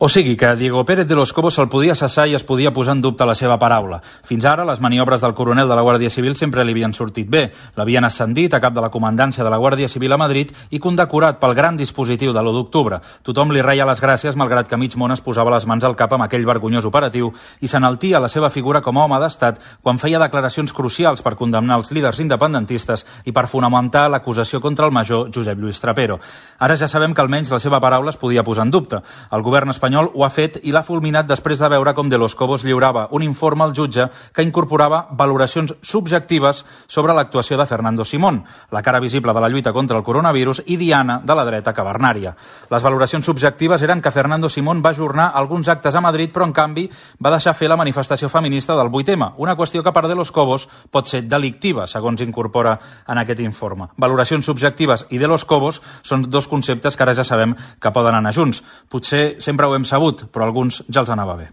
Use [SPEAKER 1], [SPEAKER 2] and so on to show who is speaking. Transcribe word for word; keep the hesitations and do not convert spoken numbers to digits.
[SPEAKER 1] O sigui que a Diego Pérez de los Cobos se'l podia cessar i es podia posar en dubte la seva paraula. Fins ara, les maniobres del coronel de la Guàrdia Civil sempre li havien sortit bé. L'havien ascendit a cap de la comandància de la Guàrdia Civil a Madrid i condecorat pel gran dispositiu de l'u d'octubre. Tothom li reia les gràcies, malgrat que mig món es posava les mans al cap amb aquell vergonyós operatiu i s'enaltia la seva figura com a home d'estat quan feia declaracions crucials per condemnar els líders independentistes i per fonamentar l'acusació contra el major Josep Lluís Trapero. Ara ja sabem que almenys la seva paraula es podia posar en dubte. El govern espanyol ho ha fet i l'ha fulminat després de veure com De los Cobos lliurava un informe al jutge que incorporava valoracions subjectives sobre l'actuació de Fernando Simón, la cara visible de la lluita contra el coronavirus i diana de la dreta cavernària. Les valoracions subjectives eren que Fernando Simón va ajornar alguns actes a Madrid, però en canvi va deixar fer la manifestació feminista del vuit eme, una qüestió que per De los Cobos pot ser delictiva, segons incorpora en aquest informe. Valoracions subjectives i De los Cobos són dos conceptes que ara ja sabem que poden anar junts. Potser sempre ho hem sabut, però a alguns ja els anava bé.